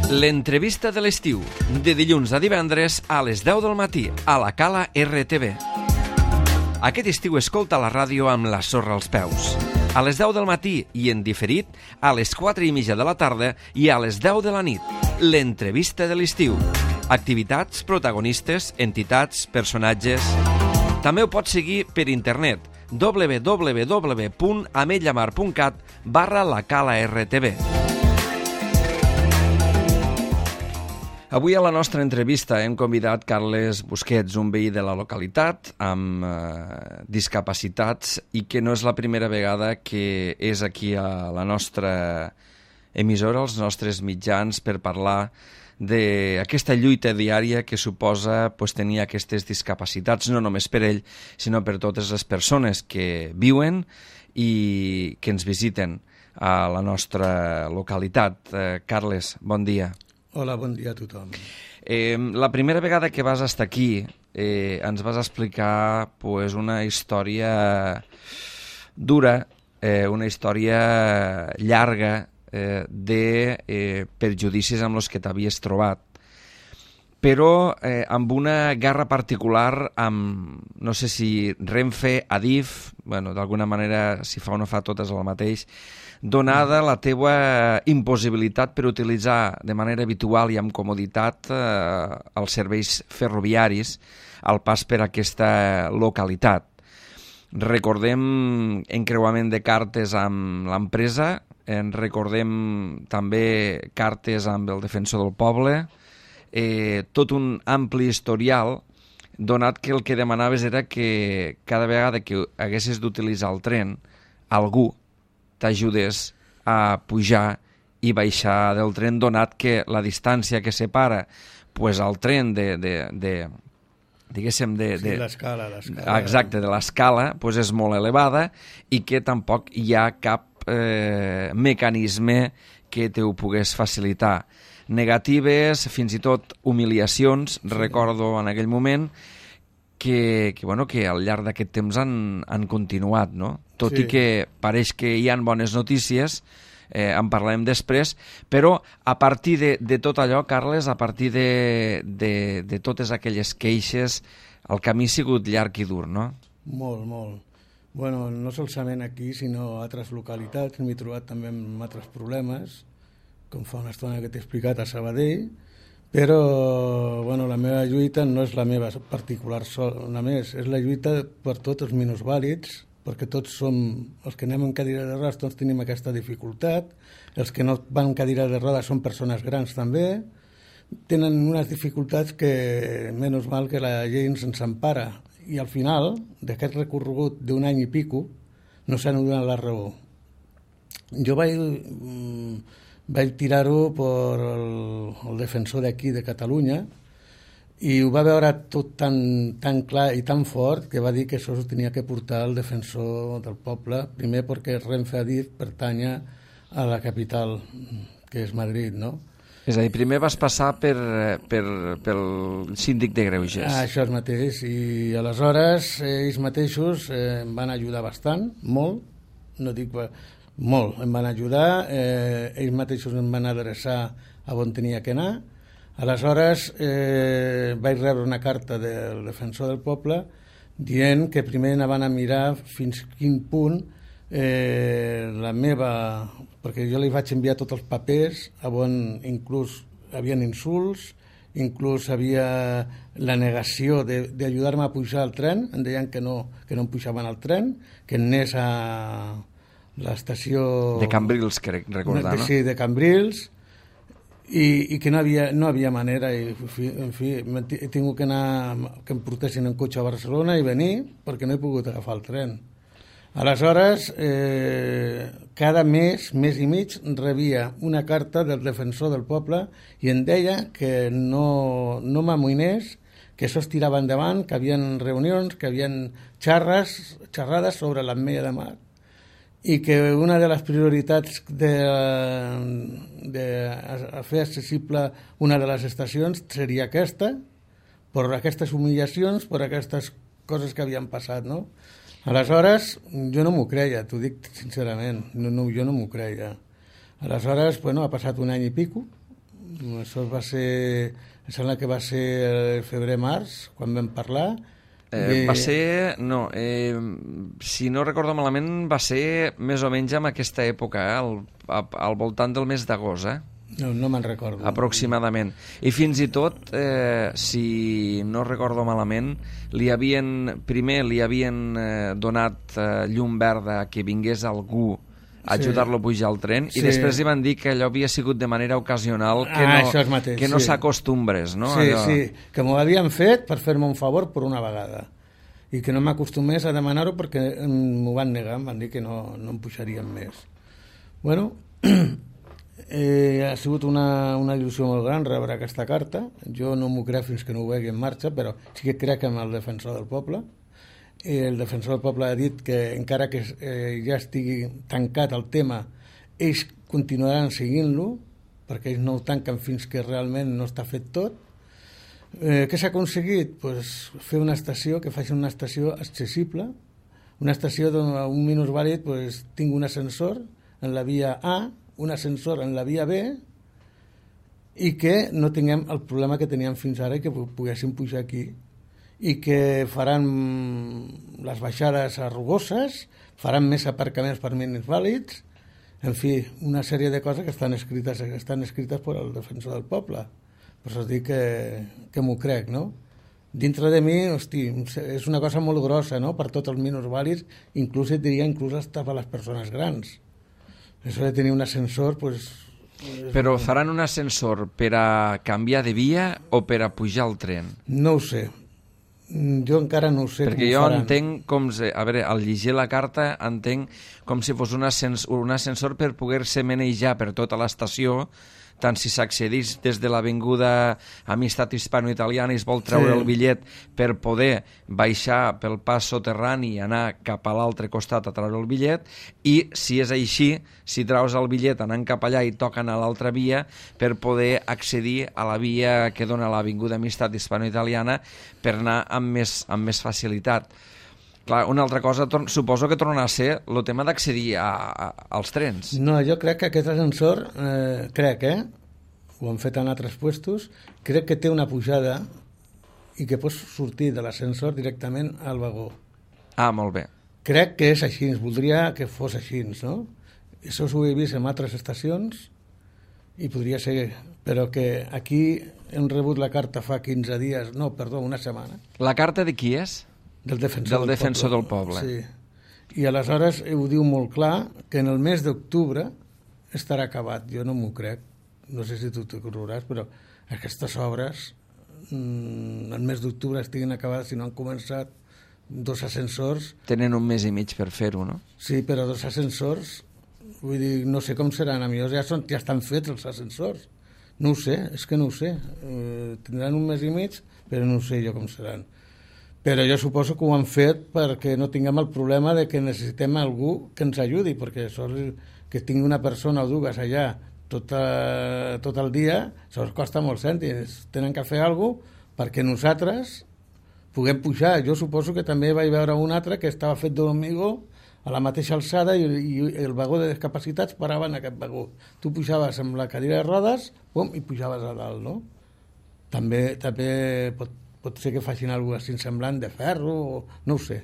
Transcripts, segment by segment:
L'entrevista de l'estiu, de dilluns a divendres a les 10 del matí, a la Cala RTV. Aquest estiu escolta la ràdio amb la sorra als peus. A les 10 del matí i en diferit, a les 4:30 de la tarda i a les 10 de la nit. L'entrevista de l'estiu. Activitats, protagonistes, entitats, personatges... També ho pots seguir per internet www.ametlllamar.cat/la Cala RTV. Avui a la nostra entrevista hem convidat Carles Busquets, un veí de la localitat amb discapacitats i que no és la primera vegada que és aquí a la nostra emissora, als nostres mitjans, per parlar d'aquesta lluita diària que suposa tenir aquestes discapacitats, no només per ell, sinó per totes les persones que viuen i que ens visiten a la nostra localitat. Carles, bon dia. Hola, bon dia a tothom. La primera vegada que vas estar aquí ens vas explicar una història dura, una història llarga de perjudicis amb els que t'havies trobat, però amb una guerra particular amb, no sé si Renfe, Adif, d'alguna manera, si fa o no fa totes el mateix, donada la teua impossibilitat per utilitzar de manera habitual i amb comoditat els serveis ferroviaris al pas per aquesta localitat. Recordem encreuament de cartes amb l'empresa, recordem també cartes amb el Defensor del Poble, tot un ampli historial, donat que el que demanaves era que cada vegada que haguessis d'utilitzar el tren, algú t'ajudés a pujar i baixar del tren, donat que la distància que separa el tren l'escala. Exacte, de l'escala és molt elevada i que tampoc hi ha cap mecanisme que te ho pogués facilitar. Negatives, fins i tot humiliacions, recordo en aquell moment, que al llarg d'aquest temps han continuat, no? Tot i que pareix que hi ha bones notícies, en parlarem després, però a partir de tot allò, Carles, a partir de totes aquelles queixes, el camí ha sigut llarg i dur, no? Molt, molt. Bueno, no solament aquí, sinó a altres localitats. M'he trobat també amb altres problemes, com fa una estona que t'he explicat a Sabadell, però la meva lluita no és la meva particular només, és la lluita per tots els minusvàlids, perquè tots som, els que anem en cadira de rodes, tots tenim aquesta dificultat, els que no van en cadira de rodes són persones grans també, tenen unes dificultats que, menys mal que la llei ens empara, i al final d'aquest recorregut d'un any i pico no s'han donat la raó. Jo vaig tirar-ho per el defensor d'aquí de Catalunya i ho va veure tot tan clar i tan fort que va dir que això ho tenia que portar el defensor del poble, primer perquè Renfe Adif pertanya a la capital, que és Madrid, no? És a dir, primer vas passar pel síndic de greuges. Això és mateix, i aleshores ells mateixos em van ajudar bastant, molt, no dic molt, em van ajudar, ells mateixos em van adreçar a on tenia que anar. Aleshores vaig rebre una carta del defensor del poble dient que primer anaven a mirar fins quin punt la meva... perquè jo li vaig enviar tots els papers on inclús hi havia insults, inclús havia la negació d'ajudar-me a pujar al tren, em deien que no em pujaven al tren, que anés a l'estació... De Cambrils, crec recordar, no? Sí, de Cambrils, i que no havia manera, i en fi, he tingut que anar, que em portessin en cotxe a Barcelona i venir, perquè no he pogut agafar el tren. Aleshores, cada mes i mig, rebia una carta del defensor del poble i em deia que no m'amoïnés, que això es tirava endavant, que hi havia reunions, que hi havia xerrades sobre l'Ametlla de Mar, i que una de les prioritats de fer accessible una de les estacions seria aquesta, per aquestes humiliacions, per aquestes coses que havien passat, no? Aleshores, jo no m'ho creia, t'ho dic sincerament, jo no m'ho creia. Aleshores, ha passat un any i pico, Això va ser... Em sembla que va ser febrer-març, quan vam parlar. Va ser... No, si no recordo malament, va ser més o menys en aquesta època, al voltant del mes d'agost, No me'n recordo. Aproximadament. I fins i tot, si no recordo malament, primer li havien donat llum verda que vingués algú a ajudar-lo a pujar al tren, i després li van dir que allò havia sigut de manera ocasional, que no s'acostumbres, no? Sí, que m'ho havien fet per fer-me un favor per una vegada, i que no m'acostumés a demanar-ho perquè m'ho van negar, em van dir que no em pujarien més. Bueno, ha sigut una il·lusió molt gran rebre aquesta carta. Jo no m'ho crec fins que no ho vegi en marxa, però sí que crec en el defensor del poble. El defensor del poble ha dit que encara que ja estigui tancat el tema, ells continuaran seguint-lo, perquè ells no ho tanquen fins que realment no està fet tot. Què s'ha aconseguit? Pues fer una estació que faci una estació accessible, una estació on un minusvàlid pues, tingui un ascensor en la via A, un ascensor en la via B, i que no tinguem el problema que teníem fins ara i que poguéssim pujar aquí, i que faran les baixades rugoses, faran més aparcaments per minusvàlids, en fi, una sèrie de coses que estan escrites per al defensor del poble. Per això dic que m'ho crec, no? Dintre de mi, hosti, és una cosa molt grossa, no?, per tots els minusvàlids, inclús et diria, per les persones grans. Això de tenir un ascensor, pues... Però faran un ascensor per a canviar de via o per a pujar al tren? No ho sé. Jo encara no ho sé. Perquè jo entenc com... A veure, al llegir la carta entenc com si fos un ascensor per poder-se manejar per tota l'estació, tant si s'accedís des de l'avinguda Amistat Hispano-Italiana i es vol treure el bitllet per poder baixar pel pas soterrani i anar cap a l'altre costat a treure el bitllet, i si és així, si treus el bitllet anant cap allà i toquen a l'altra via per poder accedir a la via que dona l'avinguda Amistat Hispano-Italiana per anar amb més facilitat. Clar, una altra cosa, suposo que tornarà a ser el tema d'accedir als trens. No, jo crec que aquest ascensor, ho han fet en altres puestos, crec que té una pujada i que pots sortir de l'ascensor directament al vagó. Ah, molt bé. Crec que és així, voldria que fos així, no? Això ho he vist en altres estacions i podria ser, però que aquí hem rebut la carta fa 15 dies, no, perdó, una setmana. La carta de qui és? Del defensor del poble. Sí. I aleshores ho diu molt clar que en el mes d'octubre estarà acabat. Jo no m'ho crec. No sé si tu t'ho creuràs, però aquestes obres el mes d'octubre estiguin acabades, si no han començat 2 ascensors... Tenen un mes i mig per fer-ho, no? Sí, però 2 ascensors, vull dir, no sé com seran. A millor ja estan fets els ascensors. No ho sé, és que no ho sé. Tindran un mes i mig, però no ho sé jo com seran. Però jo suposo que ho han fet perquè no tinguem el problema de que necessitem algú que ens ajudi, perquè que tingui una persona o dues allà tot el dia, això costa molts cèntims. Tenen que fer alguna cosa perquè nosaltres puguem pujar. Jo suposo que també vaig veure un altre que estava fet d'hormigó a la mateixa alçada i el vagó de discapacitats parava en aquest vagó. Tu pujaves amb la cadira de rodes i pujaves a dalt, no? També pot ser que facin alguna cosa semblant de ferro, no ho sé.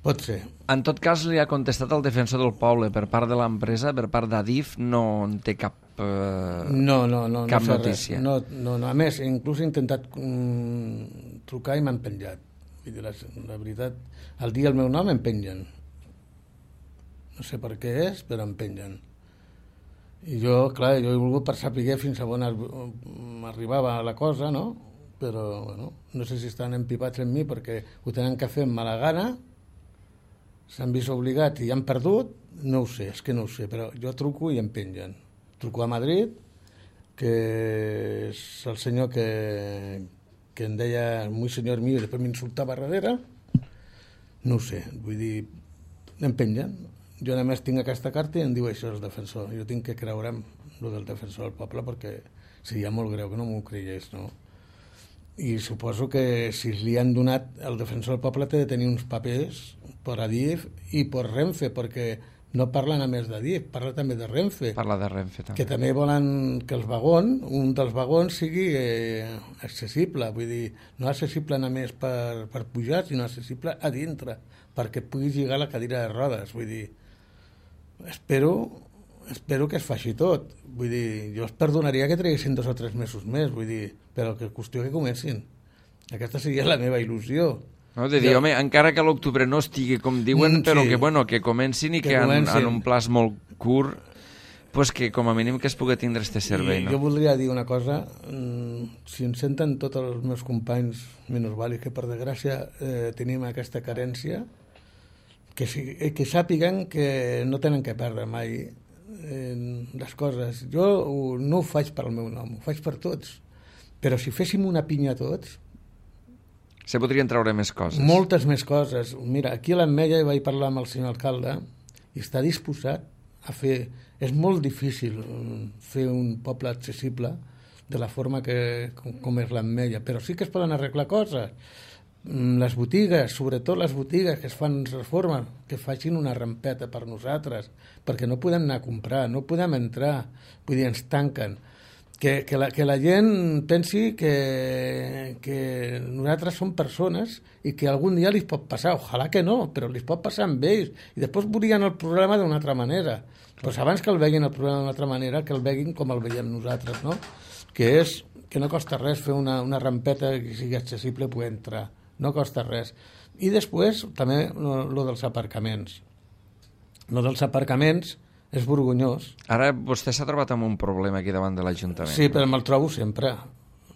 Pot ser. En tot cas, li ha contestat el defensor del poble per part de l'empresa, per part d'Adif, no en té cap notícia. No, a més, inclús he intentat trucar i m'han penjat. Vull dir, la veritat, al dir el meu nom em pengen. No sé per què és, però em pengen. I jo he volgut per saber fins a on arribava la cosa, no? Però, bueno, no sé si estan empipats en mi perquè ho tenen que fer amb mala gana, s'han vist obligats i han perdut, no ho sé, és que no ho sé, però jo truco i em pengen. Truco a Madrid, que és el senyor que em deia muy senyor mío i després m'insultava a darrere, no ho sé, vull dir, em pengen. Jo només tinc aquesta carta i em diu això el defensor. Jo tinc que creure'm el del defensor del poble perquè seria molt greu que no m'ho creiés, no? I suposo que si li han donat el defensor del poble té de tenir uns papers per Adif i per Renfe, perquè no parla només de DIF, parla també de Renfe. Parla de Renfe, també. Que també volen que un dels vagons sigui accessible, vull dir, no accessible només per pujar, sinó accessible a dintre, perquè puguis lligar la cadira de rodes, vull dir, espero que es faci tot, vull dir, jo es perdonaria que traguessin 2 o 3 mesos més, vull dir, però que qüestió que comencin. Aquesta seria la meva il·lusió. No, de dir, home, encara que l'octubre no estigui com diuen, però sí, que comencin i que en un plaç molt curt, pues que com a mínim que es pugui tindre este servei, no? Jo voldria dir una cosa, si ens senten tots els meus companys minusvàlids, que per desgràcia tenim aquesta carència, que sàpiguen que no tenen que perdre mai les coses. Jo no ho faig per al meu nom, ho faig per tots, però si féssim una pinya tots, se podrien treure més coses. Moltes més coses. Mira, aquí a l'Ametlla vaig parlar amb el senyor alcalde i està disposat a fer... És molt difícil fer un poble accessible de la forma com és l'Ametlla, però sí que es poden arreglar coses. Les botigues, sobretot les botigues que es fan reformes, que facin una rampeta per nosaltres, perquè no podem anar a comprar, no podem entrar, vull dir, ens tanquen. Que la gent pensi que nosaltres som persones i que algun dia li pot passar, ojalà que no, però li pot passar amb ells, i després veurien el problema d'una altra manera. Doncs abans que el veguin el problema d'una altra manera, que el veguin com el veiem nosaltres, no? Que és que no costa res fer una rampeta que sigui accessible i poder entrar, no costa res. I després també lo dels aparcaments. Lo dels aparcaments és vergonyós. Ara vostè s'ha trobat amb un problema aquí davant de l'Ajuntament. Sí, però me'l trobo sempre.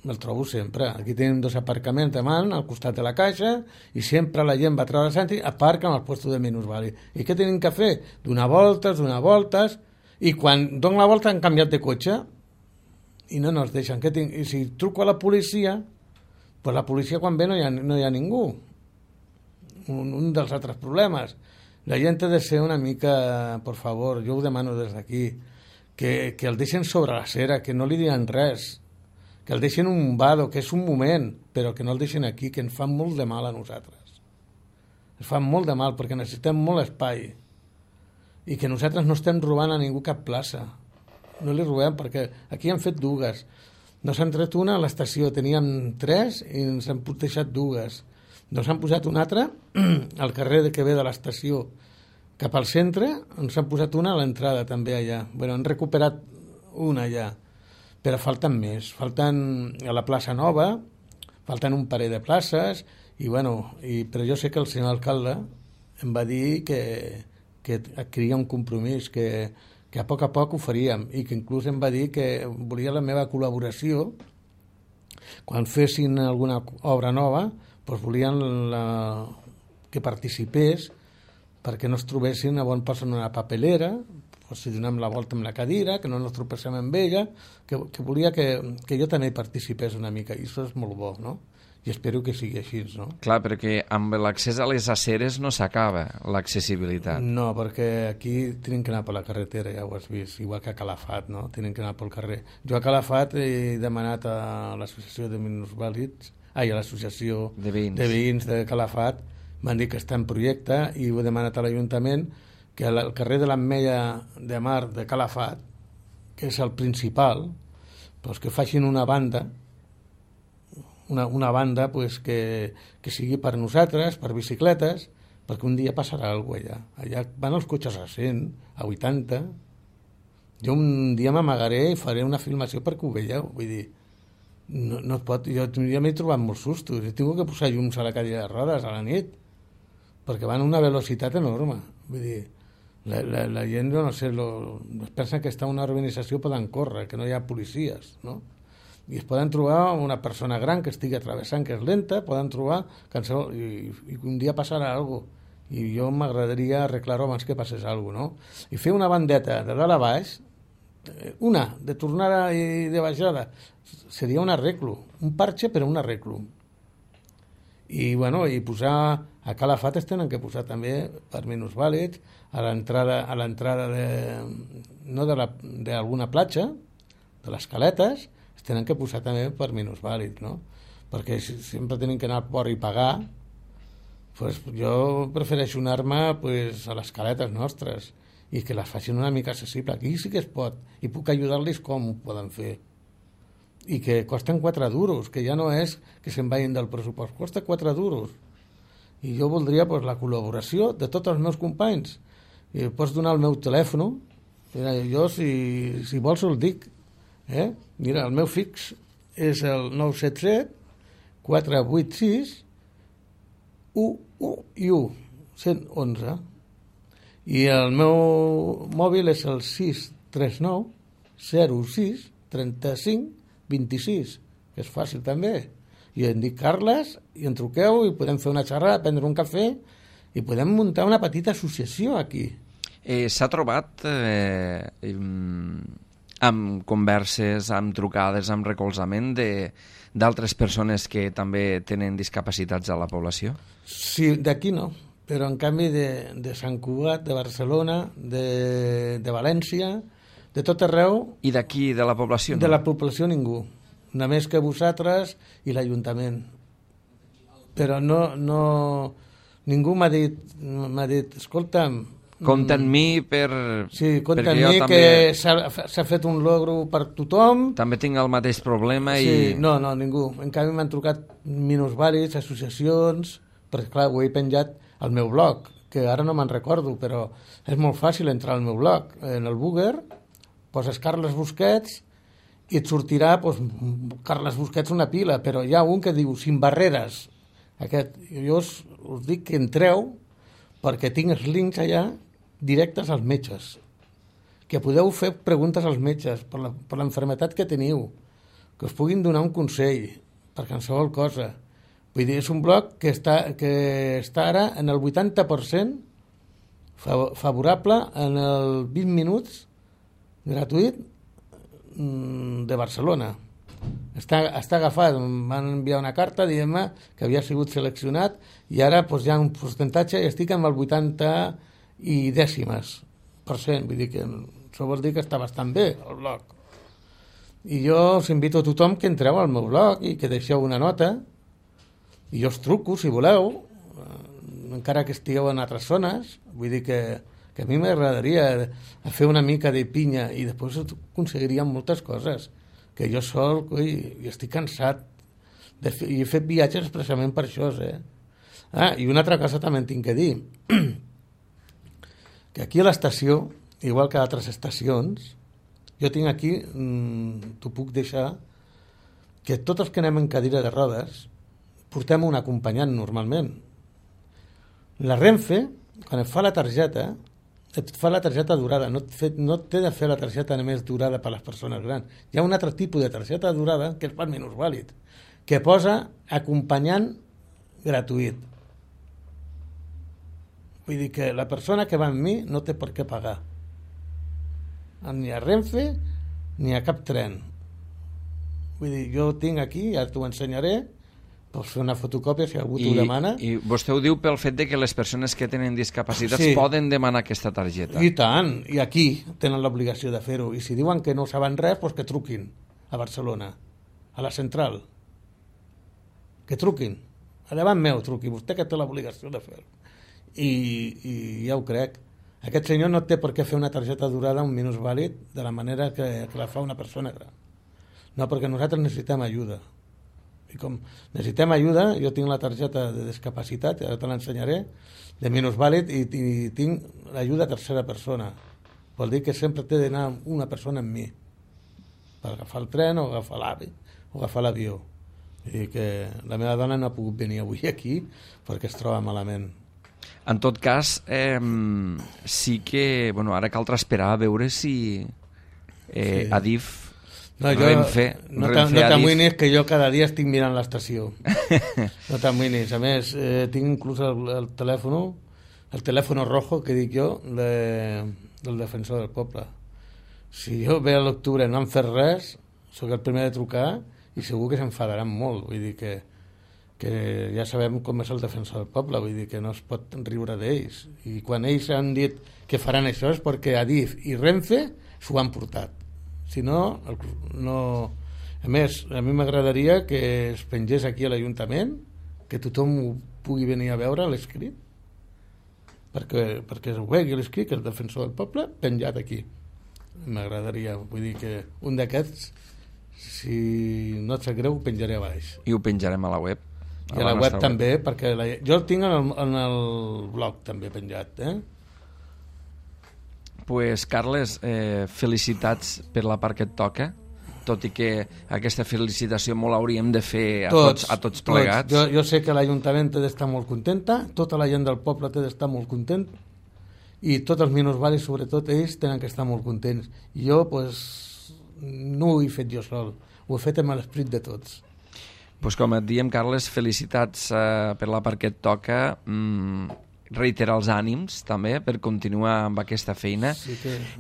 Aquí tenim 2 aparcaments davant, al costat de la caixa, i sempre la gent va a treure i aparquen al lloc de minusvàlid. I què tenim que fer? Donar voltes, i quan donen la volta han canviat de cotxe i no ens deixen. I si truco a la policia, pues la policia quan ve no hi ha ningú. Un dels altres problemes. La gent ha de ser una mica, por favor, jo ho demano des d'aquí, que el deixen sobre la cera, que no li diran res, que el deixen un vado, que és un moment, però que no el deixen aquí, que ens fan molt de mal a nosaltres. Ens fan molt de mal perquè necessitem molt espai i que nosaltres no estem robant a ningú cap plaça. No li robem perquè aquí han fet 2. No s'han tret una a l'estació, teníem 3 i ens han deixat 2. Ens han posat una altra al carrer que ve de l'estació cap al centre, ens han posat una a l'entrada també allà. Bueno, han recuperat una allà, però falten més. Falten a la plaça Nova, falten un parell de places, però jo sé que el senyor alcalde em va dir que adquiria un compromís, que a poc ho faríem, i que inclús em va dir que volia la meva col·laboració quan fessin alguna obra nova, doncs volien que participés perquè no es trobessin a bon pas en una papelera, si donem la volta amb la cadira, que no ens tropecem amb ella, que volia que jo també participés una mica, i això és molt bo, no? I espero que sigui així, no? Clar, perquè amb l'accés a les aceres no s'acaba l'accessibilitat. No, perquè aquí tenen que anar per la carretera, ja ho has vist, igual que a Calafat, no? Tenen que anar pel carrer. Jo a Calafat he demanat a l'associació de minusvàlids, a l'associació de veïns de Calafat, m'han dit que està en projecte i ho he demanat a l'Ajuntament que al carrer de l'Ametlla de Mar de Calafat, que és el principal, doncs que facin una banda pues, que sigui per nosaltres, per bicicletes, perquè un dia passarà alguna cosa allà. Allà van els cotxes a 100, a 80. Jo un dia m'amagaré i faré una filmació perquè ho veieu. Vull dir, no es pot... Jo m'he trobat molts sustos. He tingut que posar llums a la cadira de rodes a la nit, perquè van a una velocitat enorme. Vull dir, la gent, no sé, es pensa que està en una urbanització poden córrer, que no hi ha policies, no? I es poden trobar una persona gran que estigui travessant, que és lenta, poden trobar i un dia passarà alguna cosa. I jo m'agradaria arreglar-ho abans que passés alguna cosa, no? I fer una bandeta de dalt a baix, de tornada i de baixada, seria un arreglo, un parche però un arreglo. I posar a Calafat es tenen que posar també per minusvàlids a l'entrada d'alguna platja, de les caletes, es tenen que posar també per minusvàlids, no? Perquè sempre tenen que anar al port i pagar. Pues jo prefereixo anar-me a les caletes nostres i que les facin una mica accessible. Aquí sí que es pot, i puc ajudar-los com ho poden fer. I que costen 4 duros, que ja no és que se'n vagin del pressupost, costa 4 duros. I jo voldria pues, la col·laboració de tots els meus companys. I pots donar el meu telèfon, mira, jo si vols el dic. Mira, el meu fix és el 977 486 111 i el meu mòbil és el 639 06 35 26, que és fàcil també. I em dic Carles i em truqueu i podem fer una xerrada, prendre un cafè i podem muntar una petita associació aquí. S'ha trobat amb converses, amb trucades, amb recolzament d'altres persones que també tenen discapacitats a la població? Sí, d'aquí no, però en canvi de Sant Cugat, de Barcelona, de València, de tot arreu... I d'aquí, de la població? De la població ningú, només que vosaltres i l'Ajuntament. Però ningú m'ha dit, escolta'm... Compta amb mi per... Sí, compta amb mi també... que s'ha fet un logro per tothom. També tinc el mateix problema i... Sí, no, ningú. En canvi m'han trucat minusvàlids, associacions, perquè clar, ho he penjat al meu blog, que ara no me'n recordo, però és molt fàcil entrar al meu blog. En el Booger poses Carles Busquets i et sortirà Carles Busquets una pila, però hi ha un que diu Sin Barreres. Jo us dic que entreu perquè tinc els links allà directes als metges, que podeu fer preguntes als metges per l'enfermetat que teniu, que us puguin donar un consell per qualsevol cosa. Vull dir, és un blog que està ara en el 80% favorable en el 20 minuts gratuït de Barcelona. Està agafat, em van enviar una carta dient-me que havia sigut seleccionat i ara hi ha un percentatge i estic amb el 80 i dècimes %. Vull dir que això vol dir que està bastant bé el blog. I jo us invito a tothom que entreu al meu blog i que deixeu una nota i jo us truco si voleu, encara que estigueu en altres zones. Vull dir que a mi m'agradaria fer una mica de pinya i després aconseguiríem moltes coses, que jo sol i estic cansat i he fet viatges expressament per això. I una altra cosa també en tinc que dir, que aquí a l'estació, igual que a altres estacions, jo tinc aquí, t'ho puc deixar, que tots els que anem en cadira de rodes portem un acompanyant normalment. La Renfe, quan et fa la targeta, et fa la targeta durada, no té de fer la targeta només durada per les persones grans. Hi ha un altre tipus de targeta durada que és per minusvàlid, que posa acompanyant gratuït. Vull dir que la persona que va amb mi no té per què pagar. Ni a Renfe ni a cap tren. Vull dir, jo tinc aquí, ja t'ho ensenyaré, pots fer una fotocòpia si algú t'ho demana. I vostè ho diu pel fet de que les persones que tenen discapacitats poden demanar aquesta targeta. I tant, i aquí tenen l'obligació de fer-ho. I si diuen que no saben res, doncs que truquin a Barcelona, a la central. Que truquin. A davant meu truqui, vostè que té l'obligació de fer-ho. I ja ho crec. Aquest senyor no té per què fer una targeta durada un minusvàlid de la manera que la fa una persona gran. No, perquè nosaltres necessitem ajuda. I com necessitem ajuda, jo tinc la targeta de discapacitat, ara te l'ensenyaré, de minusvàlid i tinc l'ajuda a tercera persona. Vol dir que sempre té d'anar una persona amb mi per agafar el tren o agafar l'AVE o agafar l'avió. I que la meva dona no ha pogut venir avui aquí perquè es troba malament. En tot cas, sí que ara caldrà esperar a veure si Adif, Renfe... No t'amoïnis que jo cada dia estic mirant l'estació. No t'amoïnis. A més, tinc inclús el telèfon rojo, que dic jo, del defensor del poble. Si jo ve a l'octubre no han fet res, sóc el primer de trucar i segur que s'enfadaran molt. Vull dir que ja sabem com és el defensor del poble, vull dir que no es pot riure d'ells. I quan ells han dit que faran això és perquè Adif i Renfe s'ho han portat. Si no, no... A més, a mi m'agradaria que es pengés aquí a l'Ajuntament, que tothom ho pugui venir a veure, l'escrit, perquè ho vegi l'escrit, que és el defensor del poble, penjat aquí. M'agradaria, vull dir que un d'aquests, si no et sap greu, ho penjaré a baix. I ho penjarem a la web. I a la web també, perquè jo el tinc en el blog també penjat, Pues, Carles, felicitats per la part que et toca, tot i que aquesta felicitació molt l'hauríem de fer a tots plegats. Jo sé que l'Ajuntament té d'estar molt contenta, tota la gent del poble té d'estar molt content, i tots els minusvalis, sobretot ells, tenen que estar molt contents. I jo, pues, no ho he fet jo sol, ho he fet amb l'esperit de tots. Pues com et diem, Carles, felicitats per la part que et toca, reiterar els ànims també per continuar amb aquesta feina,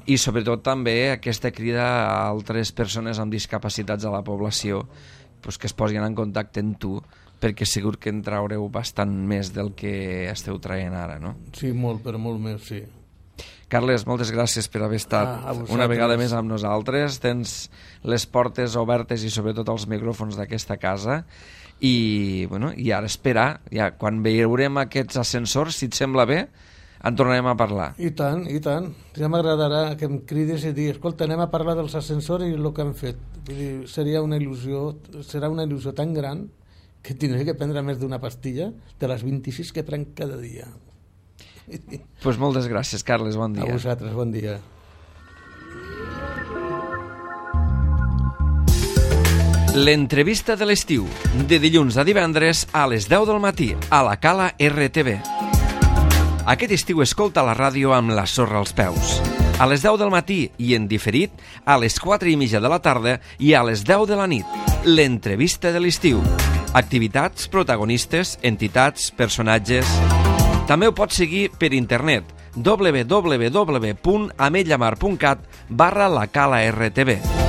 i sobretot també aquesta crida a altres persones amb discapacitats a la població, pues, que es posin en contacte amb tu, perquè segur que en traureu bastant més del que esteu traient ara, no? Sí, molt, però molt més, sí. Carles, moltes gràcies per haver estat una vegada més amb nosaltres. Tens les portes obertes i sobretot els micròfons d'aquesta casa, i ara esperar, quan veurem aquests ascensors, si et sembla bé, en tornarem a parlar. I tant, i tant. Ja m'agradarà que em cridis i dir, escolta, anem a parlar dels ascensors i el que han fet. Vull dir, serà una il·lusió tan gran que tindré que prendre més d'una pastilla de les 26 que prenc cada dia. Pues moltes gràcies, Carles, bon dia. A vosaltres, bon dia. L'entrevista de l'estiu, de dilluns a divendres a les 10 del matí, a la Cala RTV. Aquest estiu escolta la ràdio amb la sorra als peus. A les 10 del matí i en diferit a les 4:30 de la tarda i a les 10 de la nit. L'entrevista de l'estiu. Activitats, protagonistes, entitats, personatges. També ho pots seguir per internet www.ametlllamar.cat/la Cala RTV.